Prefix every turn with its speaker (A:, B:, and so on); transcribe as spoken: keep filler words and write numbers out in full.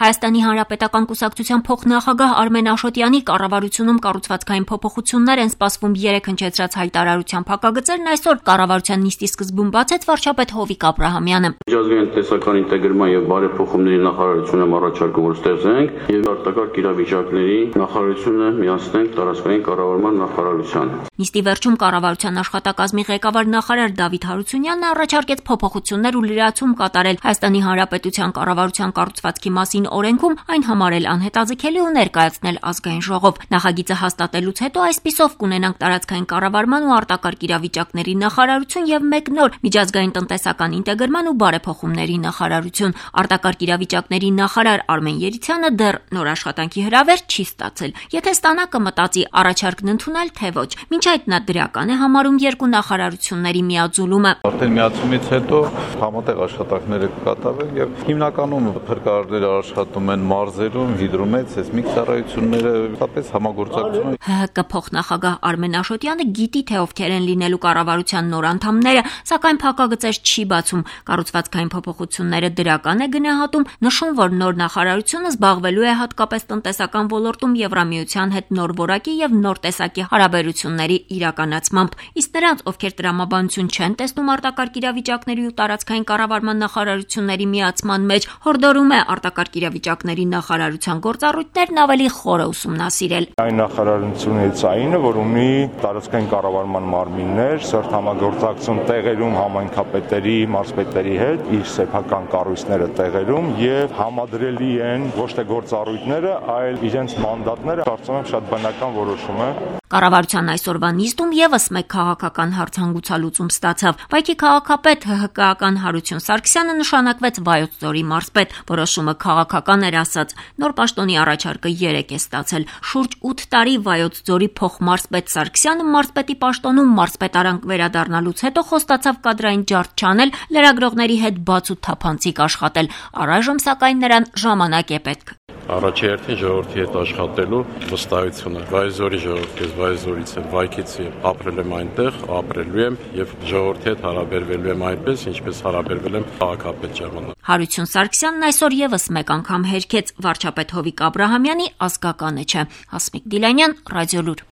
A: Հայաստանի Հանրապետական կուսակցության փոխնախագահ Արմեն Աշոտյանի կառավարությունում կառուցվածքային փոփոխություններ են սպասվում երեք հնչեցրած հայտարարության փակագծերն այսօր կառավարության նիստի սկզբում բացեց վարչապետ Հովիկ Աբրահամյանը։
B: Միջազգային տնտեսական ինտեգրման եւ բարեփոխումների նախարարությունը առաջարկում որ ստեղծենք եւ արտակարգ իրավիճակների նախարարությունը միացնենք տարածքային կառավարման նախարարությանը։
A: Նիստի վերջում կառավարության աշխատակազմի ղեկավար նախարար Դավիթ Հարությունյանն առաջարկեց փոփոխություններ ու լրացում կատարել Հայաստանի Հանրապետության կառավարության կառուցվածքի մասին օրենքում, այն համարել անհետաձգելի ու ներկայացնել ազգային ժողով։ Նախագիծը հաստատելուց հետո այսպիսով կունենանք տարածքային կառավարման ու արտակարգ իրավիճակների նախարարություն եւ մեկ նոր միջազգային տնտեսական ինտեգրման ու բարեփոխումների նախարարություն։ Արտակարգ իրավիճակների նախարար Արմեն Երիցյանը դեռ նոր աշխատանքի հրավեր չի ստացել։ Եթե ստանա կմտածի առաջարկն ընդունել թե ոչ։ Մինչ այդ նա դրական է համարում երկու նախարարությունների միաձուլումը։
C: Արդեն միացումից հետո համատեղ աշխատանքները կկատարվեն եւ հիմնականում փրկարարները աշխատում են մարզերում, հիդրոմեծ, սեյսմիկ ծառայությունները, հատկապես համագործակցություն։
A: ՀՀԿ փոխնախագահ Արմեն Աշոտյանը գիտի թե ովքեր են լինելու կառավարության նոր անդամները, սակայն փակագծեր չի բացում։ Կառուցվածքային փոփոխությունները դրական է գնահատում, նշում, որ նոր նախարարությունը զբաղվելու է հատկապես տնտեսական ոլորտում Եվրամիության հետ նոր որակի եւ նոր տեսակի հարաբերությունների իրականացմամբ։ Իսկ նրանց, ովքեր տրամաբանություն չեն տեսնում արտակարգ իրավիճակների ու տարածքային կառավարման նախարարությունների միացման մեջ, հորդորում է արտակարգ իրավիճակների նախարարության գործառույթներն ավելի խորը ուսումնասիրել։
D: Այն նախարարությունից այնը, որ ունի տարածքային կառավարման մարմիններ, սերտ համագործակցություն տեղերում համայնքապետերի, մարզպետերի հետ, իր սեփական կառույցները տեղերում եւ համադրելի են ոչ թե գործառույթները, այլ իրենց մանդատները, կարծում եմ շատ բնական որոշում է։
A: Կառավարության այսօրվա նիստում եւս մեկ քաղաքական հարց հանգուցալուծում ստացավ։ Վայքի քաղաքապետ ՀՀԿ-ական Հարություն Սարգսյանը նշանակվեց Վայոց ձորի մարզպետ։ Որոշումը քաղաքական էր ասած։ Նոր պաշտոնի առաջարկը երեք է ստացել։ Շուրջ ութ տարի Վայոց ձորի փոխմարզպետ Սարգսյանը մարզպետի պաշտոնում մարզպետարանք վերադառնալուց հետո խոստացավ կադրային ջարդ չանել, լրագրողների հետ բաց ու թափանցիկ աշխատել։ Առայժմ սակայն նրան ժամանակ է պետք։
E: Առաջերտին ժողովրդի հետ աշխատելու վստահությունը։ Վայոց-ձորի ժողովրդի հետ, Վայոց-ձորից եմ, Վայքից եմ, ապրել եմ այնտեղ, ապրելու եմ եւ ժողովրդի հետ հարաբերվելու եմ այնպես, ինչպես հարաբերվել եմ քաղաքապետ ժամանակ։
A: Հարություն Սարգսյանն այսօր եւս մեկ անգամ հերքեց վարչապետ Հովիկ Աբրահամյանի ազգականը չէ։ Հասմիկ Դիլանյան, Ռադիոլուր։